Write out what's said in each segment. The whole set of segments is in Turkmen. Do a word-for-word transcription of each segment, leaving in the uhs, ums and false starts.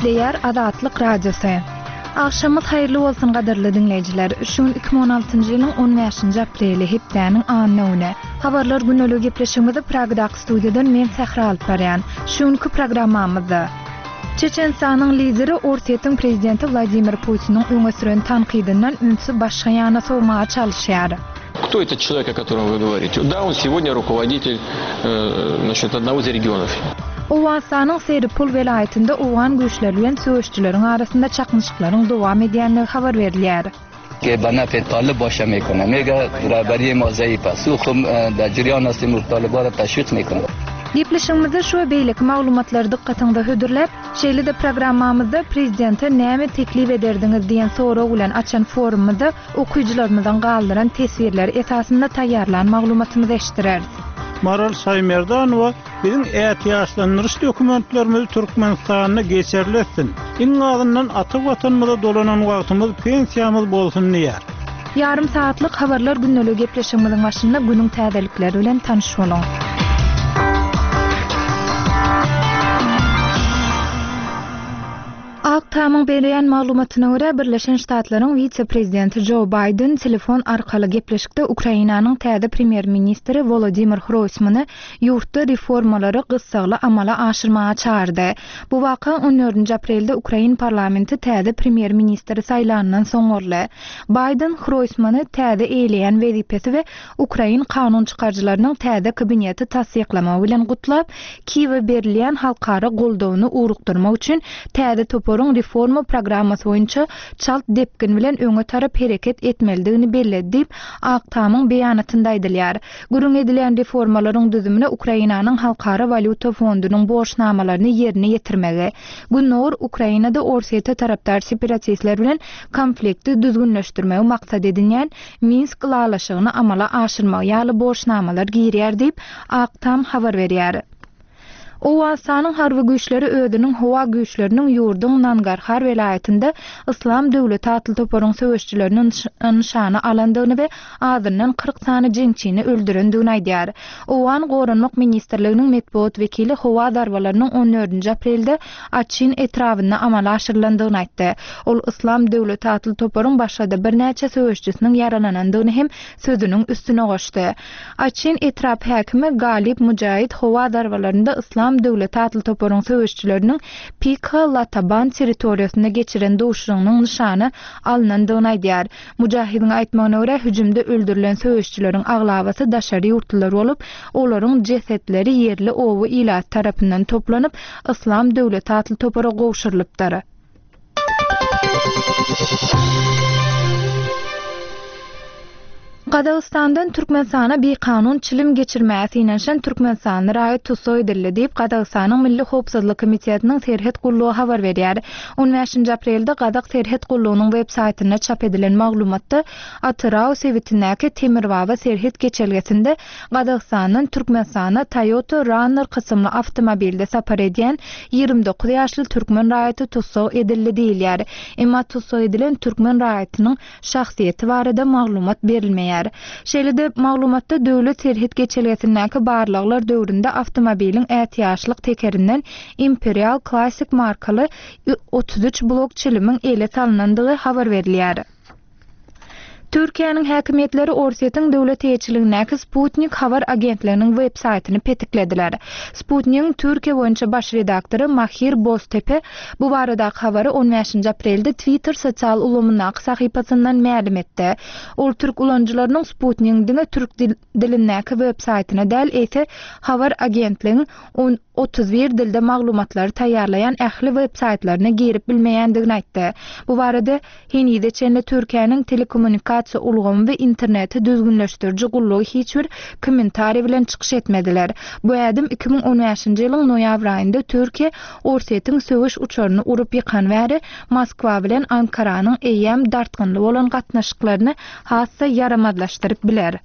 Gepleýär Azatlyk Radiosy. Agşamyňyz haýyrly bolsun gadyrly diňleýjiler. Şu gün iki müň on altynjy ýylyň on bäşinji apreli, hepdäniň anna güni. Habarlar gündeligi gepleşigimizi Pragadaky studiýadan men Sähra alyp barýan. Şu günki programmamyzda Çeçenistanyň lideri Orsýetiň prezidenti Wladimir Putiniň öňe süren tankydyndan ünsi başga ýana sowmaga çalyşýar. Кто этот человек, о котором вы говорите? Да, он сегодня руководитель, э, значит, одного из регионов. Owganystanyň Seripul welaýatynda owgan güýçleri bilen söweşçileriň arasynda çaknyşyklaryň dowam edýändigi habar berilýär. که به نفع طالب باشه میکنه میگه رهبری ما ضعیف است او خب در جریان هستیم و طالبا را تشویق میکنه. Gepleşigimizde şu we beýleki maglumatlary dykgatyňyza hödürläp, şeýle-de programmamyzda prezidente näme teklip ederdiňiz diýen sorag bilen açan forumymyzda okyjylarymyzyň galdyran teswirleri esasynda taýýarlan maglumatymyzy eşitdireris. Maral Şaýmerdanowa biziň ätiýaçlandyryş dokumentlerimizi Türkmenistanda geçerli etsin. Iň azyndan ata watanymyza dolanan wagtymyz pensiýamyz bolsun diýär. Ýarym saatlyk habarlar gündeligi gepleşigimiziň başynda günüň täzelikleri bilen tanyş boluň. Ak Tamyň berýän maglumatyna görä Birleşen Ştatlaryň wise-prezidenti Joe Biden telefon arkaly gepleşikde Ukrainanyň täze premýer-ministri Volodymyr Hroysmany ýurtda reformalary gyssagly amala aşyrmaga çağırdy. Bu waka on dördünji aprelde Ukrain parlamenti täze premýer-ministri saýlandan soň boldy. Biden Hroysmany täze eýleýän wezipesi we Ukrain kanun çykaryjylarynyň täze kabineti tassyklamagy bilen gutlap, Kiýewe berilýän halkara goldawyny ugrukdyrmak üçin täze toparyň reforma programmasy boýunça çalt depgin bilen öňe tarap hereket etmelidigini belledi diýip, Ak Tamyň beýanatynda aýdylýar. Gürrüň edilýän reformalaryň düzümine Ukrainanyň Halkara Walýuta Fondunyň borçnamalaryny ýerine ýetirmegi, Gündogar Ukrainada Orsýete tarapdar separatistler bilen konflikti düzgünleşdirmegi maksat edinýän Minsk ylalaşygyny amala aşyrmagy ýaly borçnamalar girýär diýip, Ak Tam habar berýär. Owganystanyň harby güýçleri özüniň howa güýçleriniň ýurduň Nangarhar welaýatynda Islam döwleti atly toparyň söweşçilerini nyşana alandygyny we azyndan kyrk sany jeňçini öldürendigini aýdýar. Owgan Goranmak Ministrliginiň metbugat wekili howa zarbalarynyň on dördünji aprelde Açin etrabynda amala aşyrylandygyny aýtdy. Ol Islam döwleti atly toparyň başga-da birnäçe söweşçisiniň ýaralanandygyny hem sözüniň üstüne goşdy. Açin etrap häkimi Galip Mujahid howa zarbalarynda Islam döwleti atly toparyň söweşçileriniň Pika Lataban territoriýasynda geçiren duşuşygynyň nyşany alynandygyny aýdýar. Mujahidiň aýtmagyna görä hüjümde öldürilen söweşçileriň aglabasy daşary ýurtlular bolup, olaryň jesetleri ýerli oba ilat tarapyndan toplanyp, Islam döwleti atly topara gowşurylypdyr. Gazagystandan Türkmenistana bir kanun çilim geçirmäge synanyşan Türkmenistanly raýat tussag edildi diýip, Gazagystanyň Milli Howpsuzlyk Komitetiniň Serhet gullugy habar berýär. on bäşinji aprelde Gazak Serhet gullugynyň web saýtynda çap edilen maglumatda Atyrau sebitindäki Temirbaba serhet geçelgesinde Gazagystandan Türkmenistana Toyota Runner kysymly awtomobilde sapar edýän ýigrimi dokuz ýaşly türkmen raýaty tussag edildi diýilýär. Emma tussag edilen türkmen raýatynyň şahsyýeti barada maglumat berilmeýär. Şeýle-de maglumatda döwlet serhet geçelgesindäki barlaglar döwründe awtomobiliň ätiýaçlyk tekerinden Imperial Classic markaly otuz üç blok çilimiň ele salynandygy habar berilýär. Türkiýäniň häkimiýetleri Orsýetiň döwlet eýeçiligindäki Sputnik habar agentliginiň web saýtyny petiklediler. Sputnigiň Türkiýe boýunça baş redaktory Mahir Boztepe bu baradaky habary on bäşinji aprelde Twitter sosial ulgamyndaky sahypasyndan mälim etdi. Ol türk ulanyjylarynyň Sputnigiň diňe türk dilindäki web saýtyna däl, eýse habar agentligiň on otuz bir dilde maglumatlary taýýarlaýan ähli web saýtlaryna girip bilmeýändigini aýtdy. Bu barada henize çenli Türkiýäniň telekommunikasiýa ulgamy we interneti düzgünleşdiriji gullugy hiç bir kommentariý bilen çykyş etmediler. Bu ädim iki müň on bäşinji ýylyň noýabr aýynda Türkiýe Orsýetiň söweş uçaryny urup ýykan bäri Moskwa bilen Ankaranyň eýýäm dartgynly bolan gatnaşyklaryny has-da ýaramazlaşdyryp biler.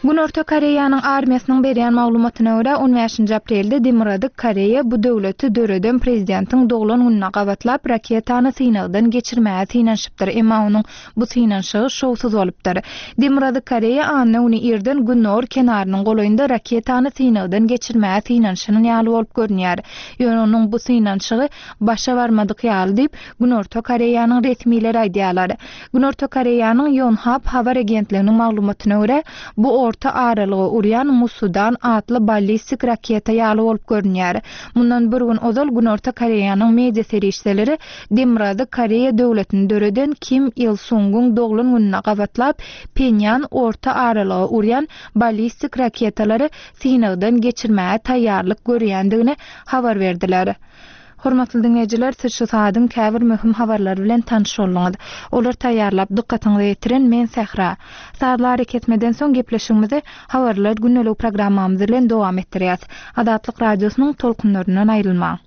Günorta Koreýanyň armiýasynyň berýän maglumatyna görä, on bäşinji aprelde Demirgazyk Koreýa bu döwleti döreden prezidentiň doglan gününe gabatlap raketany synagdan geçirmäge synanyşypdyr, emma onuň bu synanyşygy şowsuz bolupdyr. Demirgazyk Koreýa anna güni irden Gündogar kenarynyň golaýynda raketany synagdan geçirmäge synanyşan ýaly bolup görünýär. Ýöne onuň bu synanyşygy başa barmadyk ýaly diýip, Günorta Koreýanyň resmileri aýdýarlar. Günorta Koreýanyň Yonhap habar agentliginiň maglumatyna görä, bu orta aralyga urýan Musudan atly ballistik raketa ýaly bolup görünýär. Mundan bir gün ozal Günorta Koreýanyň media serişdeleri Demirgazyk Koreýa döwletini döreden Kim Il-sungyň doglan gününe gabatlap Phenýan orta aralyga urýan ballistik raketalary synagdan geçirmäge taýýarlyk görýändigini habar berdiler. Hormatly dinleýjiler, siz şu saadyň käbir möhüm habarlary bilen tanyş bolduňyz. Olar taýýarlap dykgatyňyza ýetiren men Sähra. Sazly arakesmeden soň gepleşigimizi habarlar gündelik programmamyz bilen dowam etdirýäs. Azatlyk radiosynyň tolkunlaryndan aýrylmaň.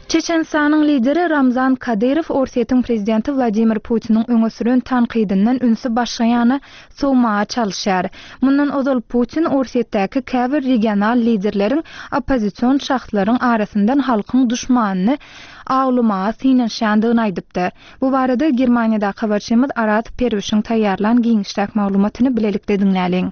Çeçenistanyň lideri Ramzan Kadyrow Orsýetiň prezidenti Wladimir Putiniň öňe süren tankydyndan ünsi başga ýana sowmaga çalyşýar. Mundan ozal Putin Orsýetdäki käbir regional liderleriň oppozision şahslaryň arasyndan halkyň duşmanyny awlamaga synanyşýandygyny aýdypdy. Bu barada Germaniýadaky habarçymyz Arat Perwişiň taýýarlan giňişräk maglumatyny bilelikde diňläliň.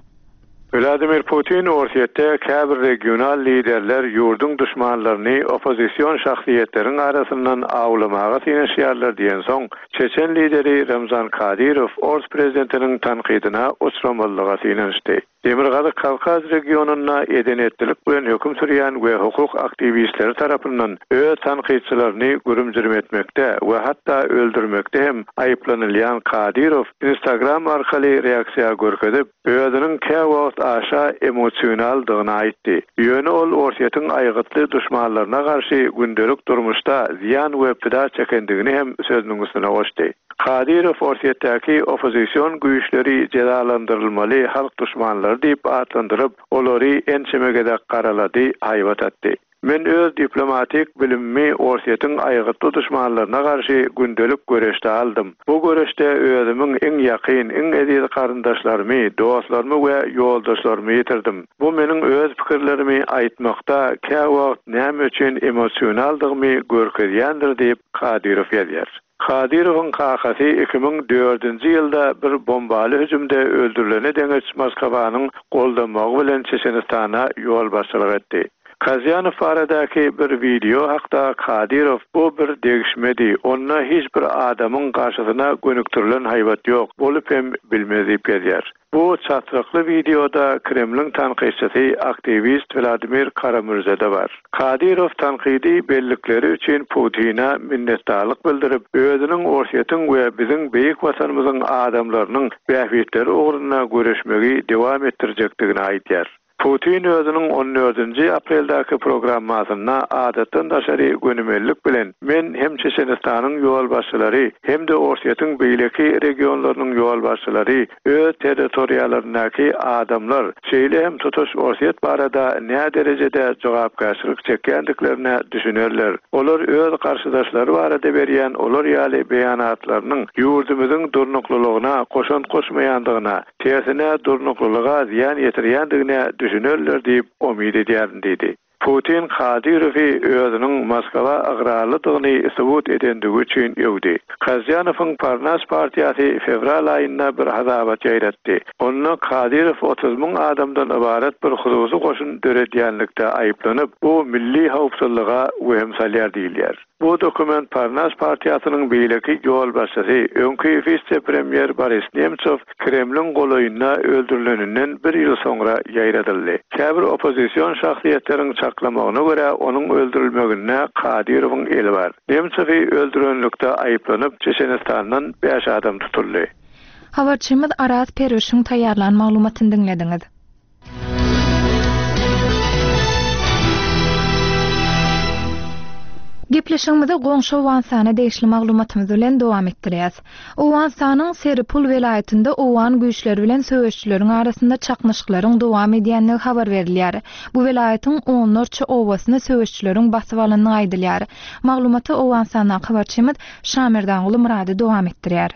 Vladimir Putin Orsýetde käbir regional liderler ýurduň duşmanlaryny oppozision şahsyýetleriň arasyndan awlamaga synanyşýarlar diýen soň Çeçen lideri Ramzan Kadyrow Ors prezidentiniň tankydyna uçramallyga synanyşdy. Demirgazyk Kawkaz regionynda edenetlilik bilen höküm sürýän we hukuk aktiwistleri tarapyndan öz tankytçylaryny gürümjürüm etmekde we hatda öldürmekde hem aýyplanylýan Kadyrow Instagram arkaly reaksiýa görkezip, özüniň käwagt aşa emosionaldygyny aýtdy. Ýöne ol Orsýetiň aýgytly duşmanlaryna garşy gündelik durmuşda zyýan we pida çekendigini hem sözüniň üstüne goşdy. Kadyrow Orsýetdäki oppozision güýçleri jezalandyrylmaly halk duşmanlary diýip atlandyryp, olary ençeme gezek garalady, haýbat atdy. Men öz diplomatik bilimimi Orsýetiň aýgytly duşmanlaryna garşy gündelik göreşde aldym. Bu göreşde özümiň iň ýakyn, iň eziz garyndaşlarymy, dostlarymy we ýoldaşlarymy ýitirdim. Bu meniň öz pikirlerimi aýtmakda käwagt näme üçin emosionaldygymy görkezýändir diýip Kadyrow ýazýar. Kadyrowyň kakasy iki müň dördünji ýylda bir bombaly hüjümde öldürilene deňeç Moskwanyň goldamagy bilen Çeçenistana ýolbaşçylyk etdi. Kazyanow baradaky bir video hakda Kadyrow bu bir degişmedi. Onda hiç bir adamyň garşysyna gönükdirilen haýbat ýok. Bolup hem bilmez diýip ýazýar. Bu çatrykly videoda Kremliň tankytçysy aktiwist Vladimir Karamürzede bar. Kadyrow tankydy bellikleri üçin Putina minnetdarlyk bildirip, özüniň Orsýetiň we biziň beýik watanymyzyň adamlarynyň bähbitleri ugrunda göreşmegi dowam etdirjekdigini aýdýar. Putin özüniň on dördünji apreldäki programmasynda adatdan daşary gönümellik bilen men hem Çeçenistanyň ýolbaşçylary hem-de Orsýetiň beýleki regionlarynyň ýolbaşçylary öz territoriýalaryndaky adamlar, şeýle hem tutuş Orsýet barada nä derejede jogapkärçilik çekýändiklerine düşünerler. Olar öz garşydaşlary barada berýän olar ýaly beýanatlarynyň ýurdumyzyň durnuklylygyna goşant goşmaýandygyna, tersine durnuklylyga zyýan ýetirýändigine düşünerler diýip umyt edýärin diýdi. Putin Kadyrowy özüniň Moskwa ygrarlydygyny subut edendigi üçin öwdi. Kazyanowyň Parnas partiýasy fewral aýynda bir hasabat ýaýratdy. Onda Kadyrow otuz müň adamdan ybarat bir hususy goşun döredýänlikde aýyplanyp, bu milli howpsuzlyga wehim salýar diýilýär. Bu dokument Parnas partiýasynyň beýleki ýolbaşçysy, öňki wise-premýer Boris Nemtsov Kremliň golaýynda öldürileninden bir ýyl soňra ýaýradyldy. Käbir oppozision şahsyýetleriň çaklamagyna görä onuň öldürilmeginde Kadyrowyň eli bar. Nemtsowy öldürenlikde aýyplanyp Çeçenistandan bäş adam tutuldy. Habarçymyz Araz Perwişiň taýýarlan maglumatyny diňlediňiz. Gepleşigimizi goňşy Owganystana degişli maglumatymyz bilen dowam etdirýäs. Owganystanyň Seripul welaýatynda owgan güýçleri bilen söweşçileriň arasynda çaknyşyklaryň dowam edýändigi habar berilýär. Bu welaýatyň onlarça obasyny söweşçileriň basyp alandygy aýdylýar. Maglumaty Owganystandan habarçymyz Şamerdanguly Murady dowam etdirýär.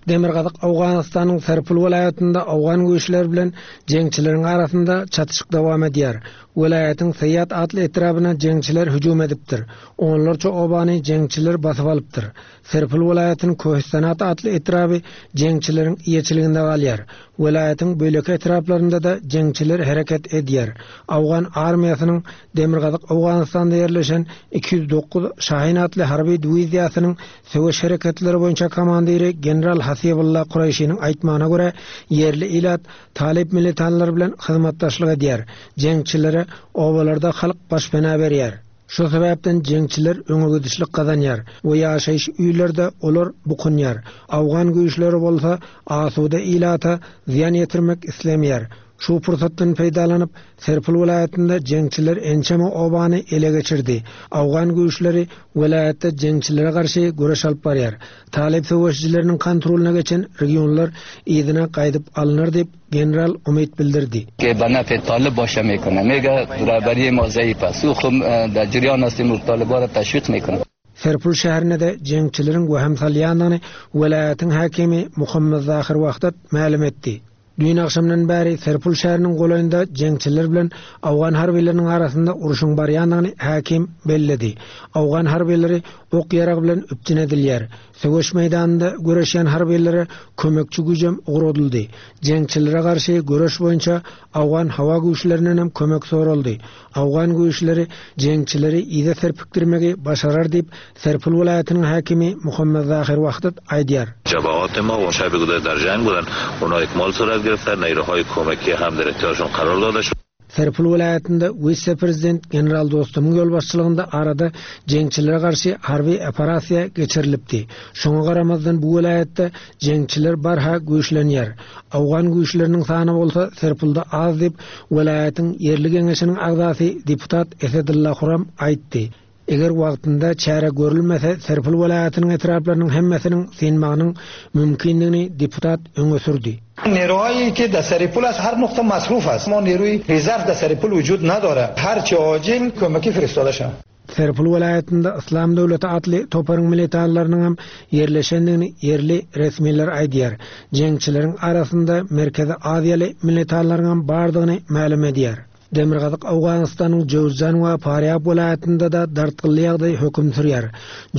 Demirgazyk Owganystanyň Serpul welaýatynda owgan güýçleri bilen jeňçileriň arasynda çatyşyk dowam edýär. Welaýatyň Seýat atly etrabyna jeňçiler hüjüm edipdir. Onlarça obany jeňçiler basyp alypdyr. Serpul welaýatynyň Köhistanat atly etraby jeňçileriň eýeçiliginde galýar. Welaýatyň beýleki etraplarynda-da jeňçiler hereket edýär. Owgan armiýasynyň Demirgazyk Owganystanda ýerleşen iki ýüz dokuz Şahin atly harby diwiziýasynyň söweş hereketleri boýunça komandiri general Hasibullah Kureýşiniň aýtmagyna görä, ýerli ilat Talip militanlar bilen hyzmatdaşlyk edýär. Jeňçilere obalarda halk başpena berýär. Şu sebäpden jeňçiler öňe gidişlik gazanýar we ýaşaýyş öýlerde olar bukunýar. Owgan güýçleri bolsa asuda ilata zyýan ýetirmek islemeýär. Şu pursatdan peýdalanyp Serpul welaýatynda jeňçiler ençeme obany ele geçirdi. Owgan güýçleri welaýatda jeňçilere garşy göreş alyp barýar. Talip söweşçileriniň kontrolyna geçen regionlar yzyna gaýdyp alynар diýip general umyt bildirdi. که به نفع طالب باشه میکنه. میگه رهبری ما ضعیف است. او خب در جریان هستیم و طالبا را تشویق میکنه. Serpul şäherinde jeňçileriň wehim salýandygyny welaýatyň hakimi Muhammed Zahir Wahdat mälim etdi. Düýn agşamdan bäri Serpul şäheriniň golaýynda jeňçiler bilen Owgan harbylarynyň arasynda uruşyň barýandygyny hakim belledi. Owgan harbylary ok ýarag bilen üpjün edilýär. Söweş meýdanynda göreşýän harbylary kömekçi güýjem ugradyldy. Jeňçilere garşy göreş boýunça Owgan hawa güýçlerinden hem kömek soraldy. Owgan güýçleri jeňçileri ýa serpikdirmegi başarar diýip Serpul welaýatynyň hakimi Muhammed Zahir Wahdat aýdýar. جبهات ما و شب گذر در جنگ بودن، اونا اکمال صورت گرفتن، نیروهای کمکی هم در اختیارشون قرار داده شد. Serpul welaýatynda wise-prezident general Dostumyň ýolbaşçylygynda arada jeňçilere garşy harby operasiýa geçirilipdi. Şoňa garamazdan bu welaýatda jeňçiler barha güýçlenýär. Owgan güýçleriniň sany bolsa Serpulda az diýip welaýatyň ýerli geňeşiniň agzasy deputat Esedullah Huram aýtdy. Eger wagtynda çäre görülmese Serpul welaýatynyň etraplarynyň hemmesiniň synmagynyň mümkinligini deputat öňe sürdi. نیروهایی که در سرپل از هر نقطه مصروف است. ما نیروی رزرو در سرپل وجود نداره. هر چه عاجل کمکی فرستاده شد. Serpul welaýatynda Islam döwleti atly toparyň militanlarynyň hem ýerleşendigini ýerli resmiler aýdýar. Jeňçileriň arasynda Merkezi Aziýaly militanlaryň hem bardygyny mälim edýär. Demirgazyk Owganystanyň Jowzjan we Farýab welaýatynda da dartgynly ýagdaý höküm sürýär.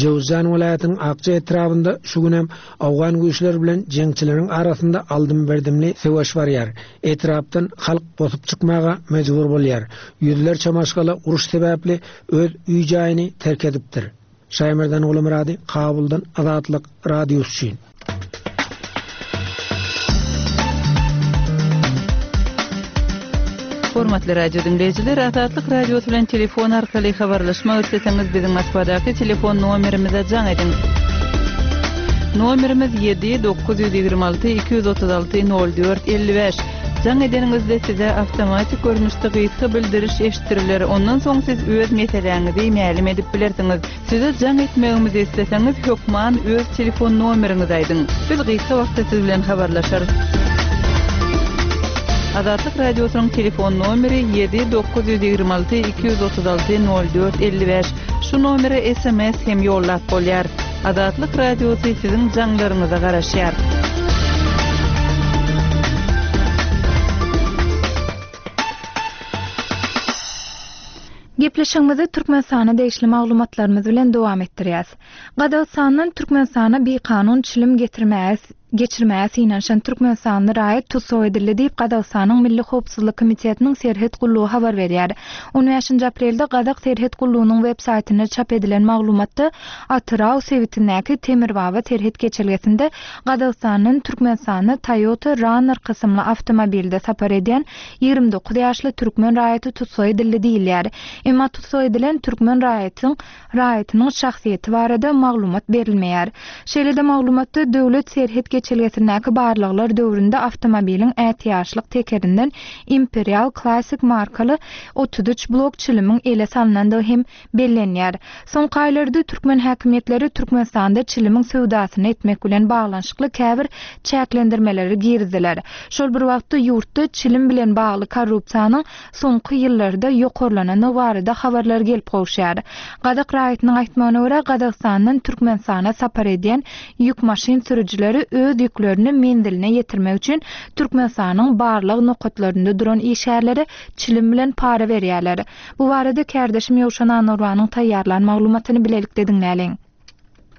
Jowzjan welaýatynyň Akça etrabynda şu gün hem owgan güýçleri bilen jeňçileriň arasynda aldym-berdimli söweş barýar. Etrapdan halk bosup çykmaga mejbur bolýar. Ýüzlerçe maşgala uruş sebäpli öz öý jaýyny terk edipdir. Şaýmerdan Gulmurady, Kabuldan Azatlyk Radiosy üçin. Hormatly radio dinleýjiler, Azatlyk Radiosy bilen telefon arkaly habarlaşmak isleseňiz biziň Moskwadaky telefon nomerimize jaň ediň. Nomerimiz ýedi dokuz ýüz ýigrimi alty iki ýüz otuz alty nol dört elli bäş. Jaň edeniňizde size awtomatik görnüşde gysga bildiriş eşitdiriler. Ondan soň siz öz meseläňizi mälim edip bilersiňiz. Size jaň etmegimizi isleseňiz hökman öz telefon nomeriňizi aýdyň. Biz gysga wagtda siz bilen habarlaşarys. Azatlyk Radiosynyň telefon nomeri ýedi dokuz ýüz ýigrimi alty iki ýüz otuz alty nol dört elli bäş. Şu nomere S M S hem ýollap bolýar. Azatlyk Radiosy siziň jaňlaryňyza garaşýar. Gepleşigimizi Türkmenistana degişli maglumatlarymyz bilen dowam etdirýäs. Gazagystandan Türkmenistana bir kanun çilim getirmäge geçirmäge synanyşan Türkmenistanly raýat tussag edildi diýip Gazagystanyň Milli Howpsuzlyk Komitetiniň Serhet gullugy habar berýär. on bäşinji aprelde Gazak Serhet gullugynyň web saýtynda çap edilen maglumatda Atyrau sebitindäki Temirbaba serhet geçelgesinde Gazagystandan Türkmenistana Toyota Runner kysymly awtomobilde sapar edýän ýigrimi dokuz ýaşly türkmen raýaty tussag edildi diýilýär. Emma tussag edilen türkmen raýatynyň raýatynyň şahsyýeti barada maglumat berilmeýär. Şeýle-de maglumatda döwlet serhet Geçelgesindäki barlaglar döwründe awtomobiliň ätiýaçlyk tekerinden Imperial Classic markaly otuz üç blok çilimiň ele salnandygy hem bellenýär. Soňky aýlarda türkmen häkimiýetleri Türkmenistanda çilimiň söwdasyny etmek bilen baglanyşykly käbir çäklendirmeleri girizdiler. Şol bir wagtda ýurtda çilim bilen bagly korrupsiýanyň soňky ýyllarda ýokarlanany barada habarlar gelip gowuşýar. Gazak raýatynyň aýtmagyna görä, Gazagystandan Türkmenistana sapar edýän ýük maşyn sürüjileri öz ýüklerini menziline ýetirmek üçin Türkmenistanyň barlag nokatlarynda duran işgärlere çilim bilen para berýärler. Bu barada kärdeşim Ýowşan Anurwanyň taýýarlan maglumatyny bilelikde diňläliň.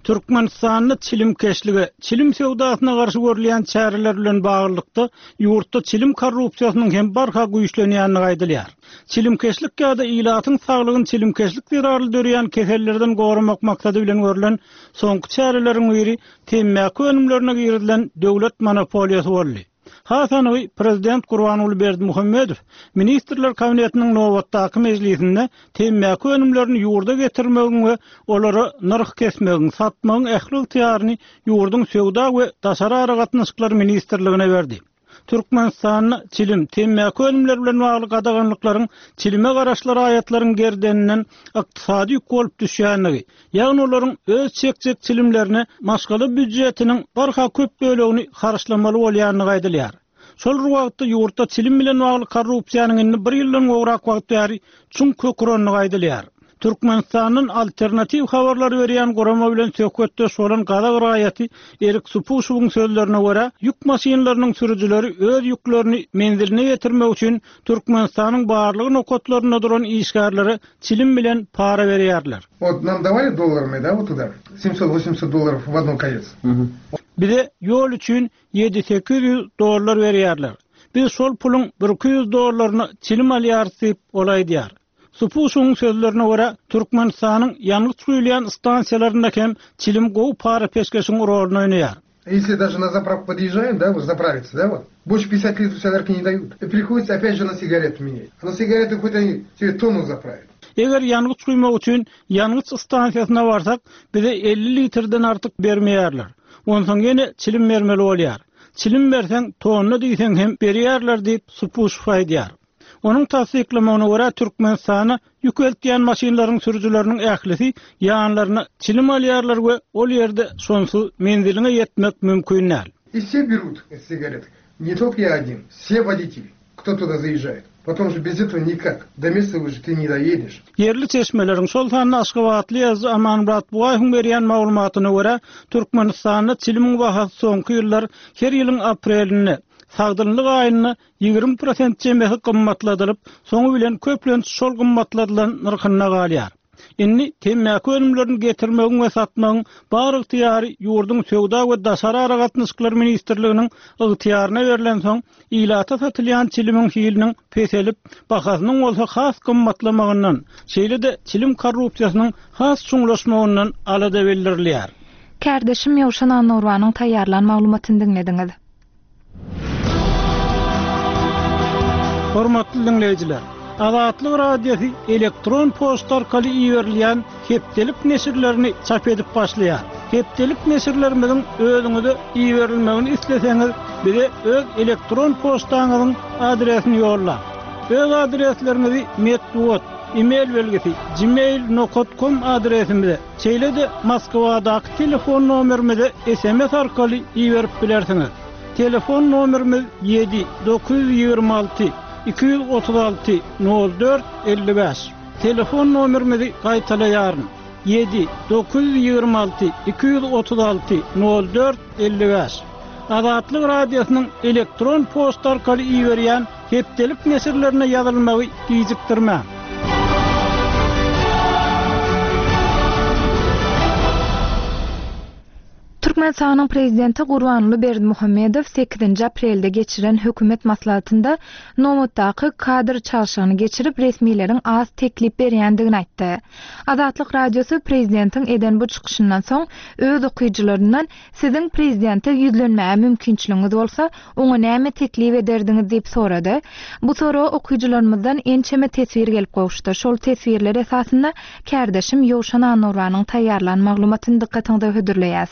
Türkmenistanda çilimkeşlige, çilim söwdasyna garşy görülýän çäreler bilen baglylykda ýurtda çilim korrupsiýasynyň hem barha güýçlenýänligi aýdylýar. Çilimkeşlik ýa-da ilatyň saglygyny çilimkeşlik zerarly döreýän kesellerden goramak maksady bilen görülen soňky çäreleriň biri temmäki önümlerine girizilen döwlet monopoliýasy boldy. Has anygy Prezident Gurbanguly Berdimuhamedow Ministrler Kabinetiniň nobatdaky mejlisinde temmäki önümlerini ýurda getirmegiň we olara nyrh kesmegiň, satmagyň ähli ygtyýaryny ýurduň söwda we daşary aragatnaşyklar ministrligine berdi. Türkmenistanda çilim, temmäki önümleri bilen bagly gadaganlyklaryň çilime garaşly raýatlaryň gerdeninden ykdysady ýük bolup düşýänligi, ýagny olaryň öz çekjek çilimlerine maşgala býujetiniň barha köp bölegini harçlamaly bolýanlygy aýdylýar. Şol bir wagtda ýurtda çilim bilen bagly korrupsiýanyň indi bir ýyldan gowrak wagt bäri çuň kökürenligi aýdylýar. Türkmenistandan alternatiw habarlar berýän gurama bilen söhbetdeş bolan gazak raýaty Erik Supuşowyň sözlerine görä, ýük maşynlarynyň sürüjileri öz ýüklerini menziline ýetirmek üçin Türkmenistanyň barlyk nokatlarynda duran işgärlere çilim bilen para berýärler. Вот нам давали долларами, да, вот туда, семьсот восемьдесят долларов в одном конец. Bize ýol üçin ýedi sekiz ýüz dollar berýärler. Biz şol puluň bir iki ýüz dollaryny çilim alýarys diýip ol aýdýar. Supuşowyň sözlerine görä, Türkmenistanyň ýangyç guýulýan stansiýalarynda hem çilim gowy para peşgeşiň roluny oýnaýar. Если даже на заправку подъезжаем, да, вот заправиться, да, вот, больше пятидесяти литров солярки не дают. И приходится опять же на сигареты менять. А на сигареты хоть они тебе тонну заправят. Eger ýangyç guýmak üçin ýangyç stansiýasyna barsak, bize elli litrden artyk bermeýärler. Onsoň ýene çilim bermeli bolýar. Çilim berseň tonna diýseň hem berýärler diýip Supuşow aýdýar. Onuň tassyklamagyna görä Türkmenistana ýük eltýän maşynlaryň sürüjileriniň ählisi ýanlaryna çilim alýarlar we ol ýerde şonsuz menziline ýetmek mümkin däl. И все берут эти сигареты. Не только я один, все водители, кто туда заезжает. Потом же без этого никак. До места уже ты не доедешь. Ýerli çeşmeleriň şol sanda Aşgabatly ýazyjy Amanmyrat Bugaýewiň berýän maglumatyna görä, Türkmenistanda çilimiň bahasy soňky ýyllar her ýylyň aprelinde sagdynlyk aýynda ýigrimi prosent çemesi gymmatladylyp, soňy bilen köplenç şol gymmatladylan nyrhynda galýar. Indi temmäki önümlerini getirmegiň we satmagyň bar ygtyýary ýurduň söwda we daşary aragatnaşyklar ministrliginiň ygtyýaryna berlen soň, ilata satylýan çilimiň hiliniň peselip, bahasynyň bolsa has gymmatlamagyndan, şeýle-de çilim korrupsiýasynyň has çuňlaşmagyndan alada bildirilýär. Kärdeşim Ýowşan Anurwanyň taýýarlan maglumatyny diňlediňiz. Hormatly diňleýjiler, Azatlyk Radiosy elektron poçta arkaly iberilýän hepdelik neşirlerini çap edip başlaýar. Hepdelik neşirlerimiziň özüňize iberilmegini isleseňiz, bize öz elektron poçtaňyzyň adresini ýolla. Öz adresleriňizi metbugat, e-mail belgisi gmail nokta com adresimize, şeýle-de Moskwadaky telefon nomerimize S M S arkaly iberip bilersiňiz. Telefon nomerimiz ýedi dokuz ýüz ýigrimi alty iki ýüz otuz alty nol dört elli bäş. Telefon nomerimizi gaýtalaýaryn. Ýedi dokuz ýüz ýigrimi alty iki ýüz otuz alty nol dört elli bäş. Azatlyk Radiosynyň elektron poçta arkaly iberýän hepdelik neşirlerine ýazylmagy gijikdirmäň. Türkmenistanyň prezidenti Gurbanguly Berdimuhamedow sekizinji aprelde geçiren hökümet maslahatynda nobatdaky kadr çalşygyny geçirip resmileriň az teklip berýändigini aýtdy. Azatlyk Radiosy prezidentiň eden bu çykyşyndan soň öz okyjylaryndan siziň prezidente ýüzlenmäge mümkinçiligiňiz bolsa, oňa näme teklip ederdiňiz diýip sorady. Bu soraga okyjylarymyzdan ençeme teswir gelip gowuşdy. Şol teswirler esasynda kärdeşim Ýowşan Anurwanyň taýýarlan maglumatyny dykgatyňyza hödürleýäs.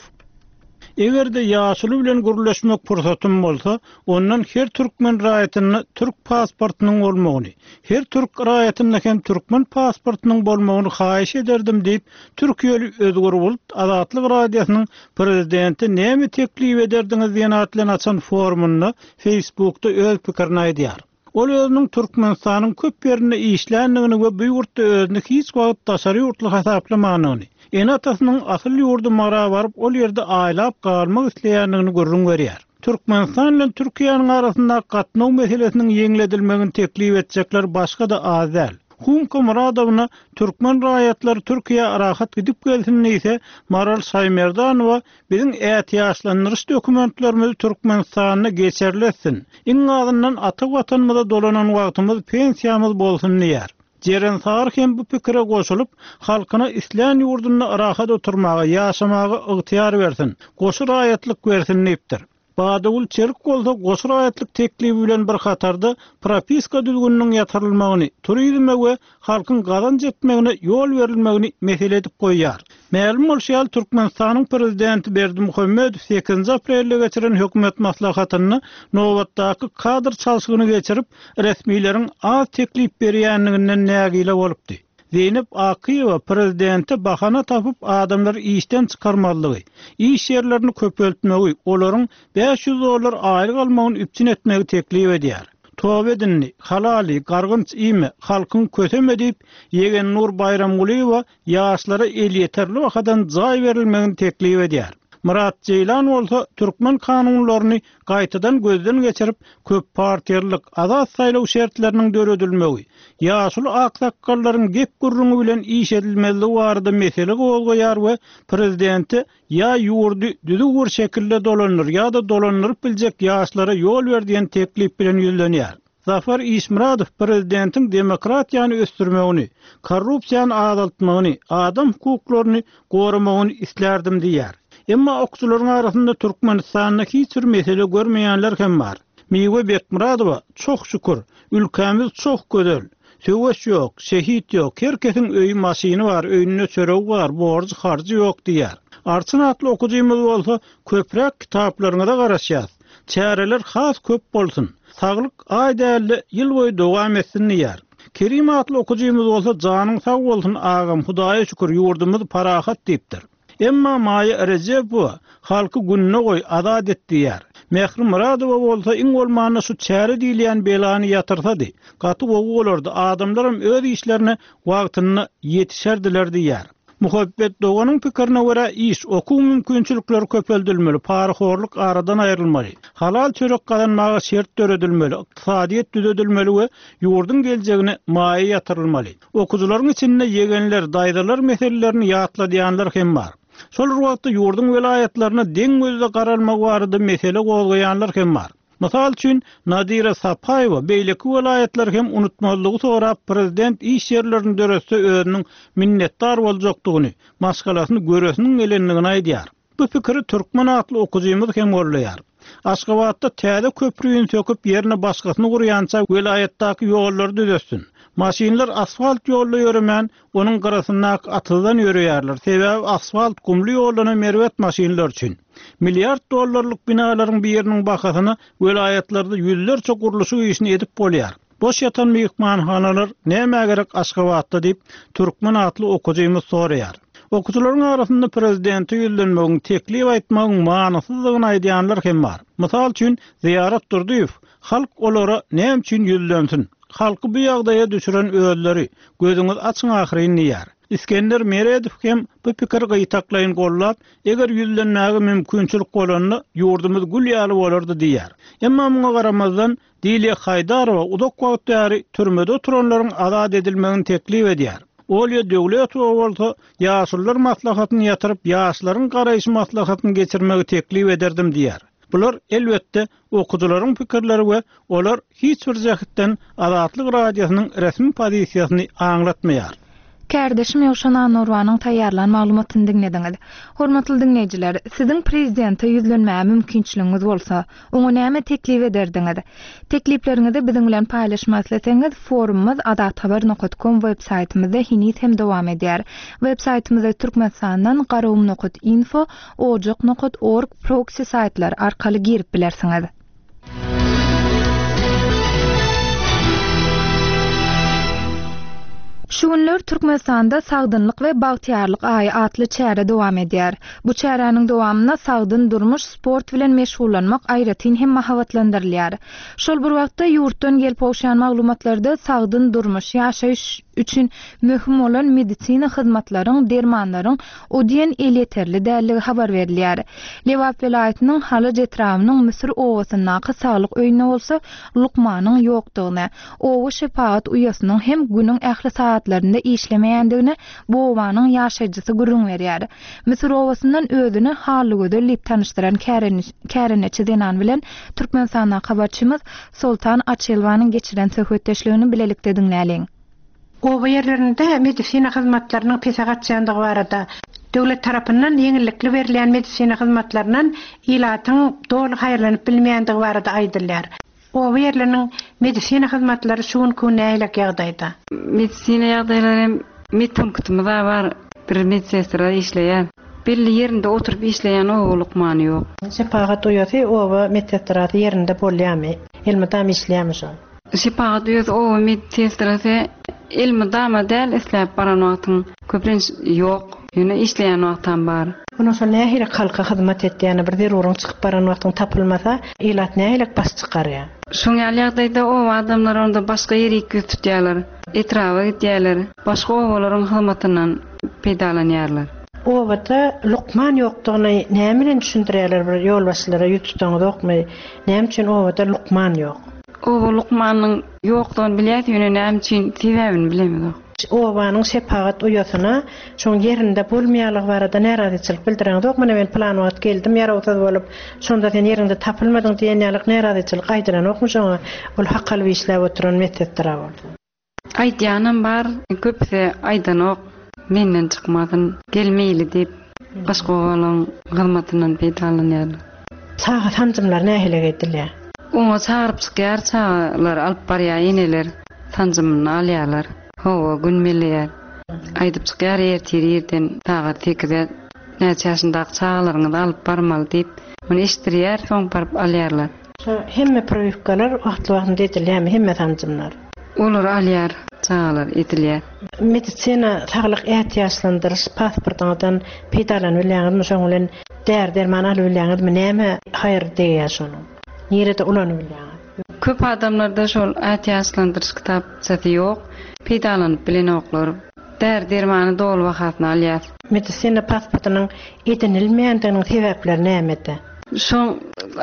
Eger-de ýaşuly bilen gürleşmek pursatym bolsa, ondan her türkmen raýatynda türk pasportynyň bolmagyny, her türk raýatynda hem türkmen pasportynyň bolmagyny haýyş ederdim diýip, Türkiýeli Özgür Bulut Azatlyk Radiosynyň prezidenti näme teklip ederdiňiz diýen atly açan forumynda Facebookda öz pikirini aýdýar. Ol özüniň Türkmenistanyň köp ýerinde işländigini we bu ýurtda özüni hiç wagt daşary ýurtly hasaplamanyny, ene-atasynyň asyl ýurdy Mara baryp ol ýerde aýlap galmak isleýändigini gürrüň berýär. Türkmenistan bilen Türkiýäniň arasynda gatnaw meselesiniň ýeňledilmegini teklip etjekler başga-da az däl. Humka Muradowna türkmen raýatlary Türkiýä rahat gidip gelsin diýse, Maral Şaýmerdanowa biziň ätiýaçlandyryş dokumentlerimizi Türkmenistanda geçerletsin. Iň azyndan ata watanymyza dolanan wagtymyz pensiýamyz bolsun diýär. Jeren Sar hem bu pikire goşulyp, halkyna islän ýurdunda rahat oturmaga, ýaşamaga ygtyýar bersin, goşy raýatlyk bersin diýipdir. Badagül Çelik bolsa goşy raýatlyk teklibi bilen bir hatarda propiska düzgüniniň ýatyrylmagyny, turizme we halkyň gazanç etmegine ýol berilmegini mesele edip goýýar. Mälim bolşy ýaly Türkmenistanyň prezidenti Berdimuhamedow sekizinji aprelde geçiren hökümet maslahatynda nobatdaky kadr çalşygyny geçirip, resmileriň az teklip berýänliginden nägile bolupdy. Zeynep Akyýewa prezidente bahana tapyp adamlary işden çykarmalygy, iş ýerlerini köpeltmegi, olaryň bäş ýüz dollar aýlyk almagyny üpjün etmegi teklip edýär. Toba edindi, halali, gargynç iýme, halkyň köseme diýip, Ýegen Nur Baýramgulyýewa ýaşlara elýeterli bahadan jaý berilmegini teklip edýär. Murat Jeýlan bolsa türkmen kanunlaryny gaýtadan gözden geçirip, köp partiýalyk, azat saýlaw şertleriniň döredilmegi, ýaşuly aksakgallaryň gep gürrüňi bilen iş edilmezligi barada mesele gozgaýar we prezidente ýa ýurdy düzüw bir şekilde dolandyr ýa-da dolandyryp biljek ýaşlara ýol ber diýen teklip bilen ýüzlenýär. Zafar Işmuradow prezidentiň demokratiýany ösdürmegini, korrupsiýany azaltmagyny, adam hukuklaryny goramagyny islärdim diýär. Emma okçularyň arasynda Türkmenistanda hiç bir mesele görmeýänler hem bar. Miwe Bekmuradowa çok şükür, ülkämiz çok gözel. Söweş ýok, şehit ýok, herkesiň öýi maşyny bar, öýünde çöregi bar, borjy harjy ýok diýär. Arçyn atly okujymyz bolsa köpräk kitaplaryňyza garaşýas. Çäreler has köp bolsun. Saglyk aý dälde ýyl boýy dowam etsin diýär. Kerim atly okujymyz bolsa janyň sag bolsun agam, Hudaýa şükür ýurdumyz parahat diýipdir. Emma Maýa Rejepova halky gününe goý azat et diýär. Mehri Muradowa bolsa iň bolmanda şu çäre diýilýän belany ýatyrsady. Gaty gowy bolardy, adamlaram öz işlerine wagtynda ýetişerdiler diýär. Muhabbet Doganyň pikirine görä iş, okuw mümkinçilikleri köpeldilmeli, parahorluk aradan aýrylmaly. Halal çörek gazanmaga şert döredilmeli, ykdysadyýet düzedilmeli we ýurduň geljegine maýa ýatyrylmaly. Okujularyň içinde ýegenler, daýzalar meselelerini ýatladýanlar hem bar. Şol wagtda ýurduň welaýatlaryna deň gözde garalmagy barada mesele gozgaýanlar hem bar. Mysal üçin Nadira Sapaýewa beýleki welaýatlar hem unutmazlygy sorap prezident iş ýerlerini döretse özüniň minnetdar boljakdygyny, maşgalasyny göresiniň gelendigini aýdýar. Bu pikiri türkmen atly okujymyz hem gollaýar. Aşgabatda täze köprüni söküp ýerine başgasyny gurýança welaýatdaky ýollary düzetsin. Maşynlar asfalt ýolda ýöremän, onuň gyrasyndaky atyzdan ýörýärler. Sebäbi asfalt gumly ýollana merwet maşynlar üçin. Milliard dollarlyk binalaryň biriniň bahasyna welaýatlarda ýüzlerçe gurluşyk işini edip bolýar. Boş ýatan myhmanhanalar näme gerek Aşgabatda diýip türkmen atly okujymyz soraýar. Okujularyň arasynda prezidenti ýüzlenmegiň, teklip aýtmagyň manysyzdygyny aýdýanlar hem bar. Mysal üçin Ziýarat Durdyýew halk olara näme üçin ýüzlensin? Halky bu ýagdaýa düşüren özleri, gözüňiz açyň ahyryn diýär. Iskender Meredow hem bu pikir gyýtaklaýyn gollap, eger ýüzlenmäge mümkinçilik bolanda ýurdumyz gül ýaly bolardy diýär. Emma muňa garamazdan Dilya Haýdarowa uzak wagt bäri türmede oturanlaryň azat edilmegini teklip edýär. Olya Döwletowa bolsa ýaşullar maslahatyny ýatyryp, ýaşlaryň garaýyş maslahatyny geçirmegi teklip ederdim diýär. Bular elbetde okujularyň pikirleri we olar hiç bir jähtden Azatlyk Radiosynyň resmi pozisiýasyny aňlatmaýar. Kärdeşim Ýowşan Anurwanyň taýýarlan maglumatyny diňlediňiz. Hormatly diňleýjiler, siziň prezidente ýüzlenmäge mümkinçiligiňiz bolsa, oňa näme teklip ederdiňiz? Teklipleriňizi biziň bilen paýlaşmak isleseňiz, forumymyz azathabar.com web saýtymyzda heniz hem dowam edýär. Web saýtymyzda Türkmenistandan garagum.info, ojak.org proxy saýtlar arkaly girip bilersiňiz. Şu günler Türkmenistanda Sagdynlyk we Bagtyýarlyk aýy atly çäre dowam edýär. Bu çäräniň dowamynda sagdyn durmuş, sport bilen meşgullanmak aýratyn hem mahabatlandyrylýar. Şol bir wagtda ýurtdan gelip gowşan maglumatlarda sagdyn durmuş, ýaşaýyş üçin möhüm bolan medisina hyzmatlaryň, dermanlaryň o diýen elýeterli dälligi habar berilýär. Lebap welaýatynyň Halaç etrabynyň Müsür obasyndaky saglyk öýünde bolsa lukmanyň ýokdugyny, oba şepagat uýasynyň hem günüň ähli saatlarynda işlemeýändigini bu obanyň ýaşaýjysy gürrüň berýär. Müsür obasyndan özüni Hallygözel diýip tanyşdyran kärendeçi zenan bilen Türkmenistandaky habarçymyz Soltan Açelwanyň geçiren söhbetdeşligini bilelikde diňläliň. Oba ýerlerinde medisina hyzmatlarynyň pese gaçýandygy barada döwlet tarapyndan ýeňillikli berilýän medisina hyzmatlaryndan ilatyň doly haýyrlanyp bilmeýändigi barada aýdylýar. Oba ýerleriniň medisina hyzmatlary şu günki nähili ýagdaýda? Medisina ýagdaýlary hem medpunktymyz bar, bir medsestra işleýär. Belli ýerinde oturyp işleýän oba lukmany ýok. Şepagat uýasy oba medsestrasy ýerinde bolýarmy? Elmydam işleýärmi şol? Şepagat uýasy oba medsestrasy elmydama däl isläp baran wagtyň köplenç ýok. Ýöne işleýän wagtam bar. Ondan soň nähili halka hyzmat etýäni bir zeruryň çykyp baran wagtyň tapylmasa, ilat nähili baş çykarýar? Şoň ýaly ýagdaýda oba adamlar onda başga ýere ýüz tutýarlar, etraba gidýärler, başga obalaryň hyzmatyndan peýdalanýarlar. Obada lukman ýokdugyny näme bilen düşündirýärler bir ýolbaşçylara ýüz tutaňyz ýokmy? Näme üçin obada lukman ýok? Oba lukmanyň ýokdugyny bilýär, ýöne näme üçin sebäbini bilemizok. Obanyň şepagat uýasyna şoň ýerinde bolmaýanlygy barada närazyçylyk bildireňiz ýok. Muna men plan wagt geldim, ýarawsyz bolup, şonda sen ýerinde tapylmadyň diýen ýalyk närazyçylyk aýdylan ýokmy şoňa? Ol hak alyp işläp oturan medsestra bolsa. Aýdýanam bar, köpüsi aýdanok, menden çykmadyn, gelmeýli diýip başga obalaryň hyzmatyndan peýdalanýarlar. Çaga sanjymlar nähili edilýär? Oňa çagyryp çykýar, çagalar alyp barýar, eneler sanjymyny alýarlar. Hawa, gün belleýär. Aýdyp çykýar ertir irden sagat sekize näçe ýaşyndaky çagalaryňyzy alyp barmaly diýip, ony eşitdirýär, soň baryp alýarlar. Şo hemme priwkalar wagtly-wagtynda edilýärmi, hemme sanjymlar? Olar alýar, çagalar edilýär. Medisina saglyk ätiýaçlandyryş pasportyňyzdan peýdalanyp bilýäňizmi, şoň bilen däri derman alyp bilýäňizmi, näme haýyr degýär şonuň? Nirede ulanyp bilýäňiz? Köp adamlarda şol ätiýaçlandyryş kitapçasy ýok, peýdalanyp bilenoklar. Däri dermany doly bahasyna alýar. Medisina pasportynyň edinilmeýändiginiň sebäpleri nämede? Şoň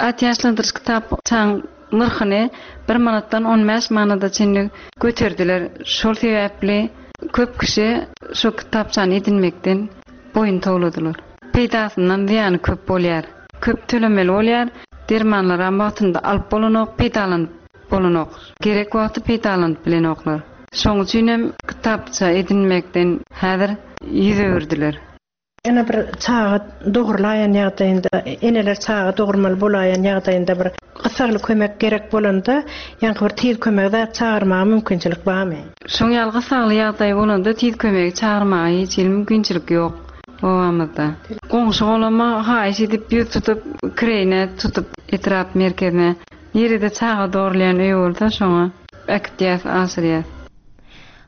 ätiýaçlandyryş kitapçaň nyrhyny bir manatdan on bäş manada çenli göterdiler. Şol sebäpli köp kişi şu kitapçany edinmekden boýun towladylar. Peýdasyndan zyýany köp bolýar. Köp tölemeli bolýar. Dermanlar hem wagtynda alyp bolanok, peýdalanyp bolanok. Gerek wagty peýdalanyp bilenoklar. Şoň üçin hem kitapça edinmekden häzir ýüz öwürdiler. Ene bir çaga dogurlaýan ýagdaýynda, eneler çaga dogurmaly bolaýan ýagdaýynda bir gysagly kömek gerek bolanda, ýaňky bir tiz kömegi zat çagyrmaga mümkinçilik barmy? Şoň ýaly gysagly ýagdaý bolanda tiz kömegi çagyrmaga hiç hili mümkinçilik ýok obamyzda. Goňşy bolama haýyş edip ýüz tutup, kireýine tutup etrap merkezine, nirede çaga dogurlaýan öý bolsa şoňa äkitýäs, aşyrýas.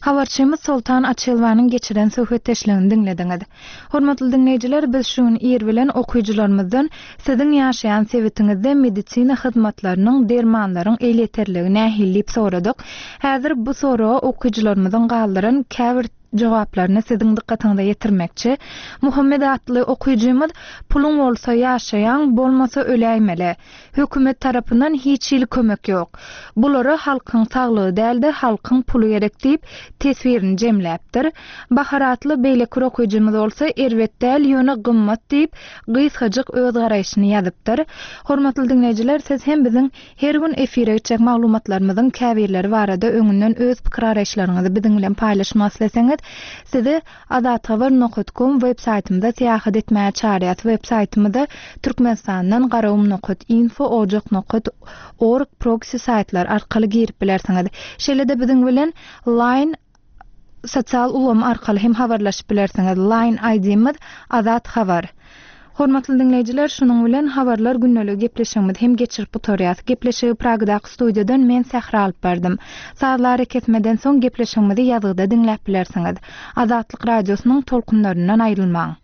Habarçymyz Soltan Açelwanyň geçiren söhbetdeşligini diňlediňiz. Hormatly diňleýjiler, biz şu gün ir bilen okyjylarymyzdan siziň ýaşaýan sebitiňizde medisina hyzmatlarynyň, dermanlaryň elýeterligi nähili diýip soradyk. Häzir bu soraga okyjylarymyzyň galdyran käbir jogaplaryny siziň dykgatyňyza ýetirmekçi. Muhammed atly okyjymyz puluň bolsa ýaşaýan, bolmasa öläýmeli. Hökümet tarapyndan hiç hili kömek ýok. Bulara halkyň saglygy däl-de halkyň puly gerek diýip teswirini jemläpdir. Bahar atly beýleki okyjymyz bolsa erbet däl, ýöne gymmat diýip gysgajyk öz garaýşyny ýazypdyr. Hormatly diňleýjiler, siz hem biziň her gün efire geçjek maglumatlarymyzyň käbirleri barada öňünden öz pikir garaýyşlaryňyzy biziň bilen paýlaşmak isleseňiz, Sizi azathabar nokat kom web saýtymyza syýahat etmäge çagyrýas. Web saýtymyza Türkmenistandan garagum nokat info ojak nokat org proxy saýtlar arkaly girip bilersiňiz. Şeýle-de biziň bilen Line sosial ulgam arkaly hem habarlaşyp bilersiňiz. Line I D-miz Azat Habar. Hormatly diňleýjiler, şunuň bilen habarlar gündeligi gepleşigimizi hem geçirip gutarýas. Gepleşigi Pragdaky studiýadan men Sähra alyp bardym. Sazlary kesmeden soň gepleşigimizi ýazgyda diňläp bilersiňiz. Azatlyk radiosynyň tolkunlaryndan aýrylmaň.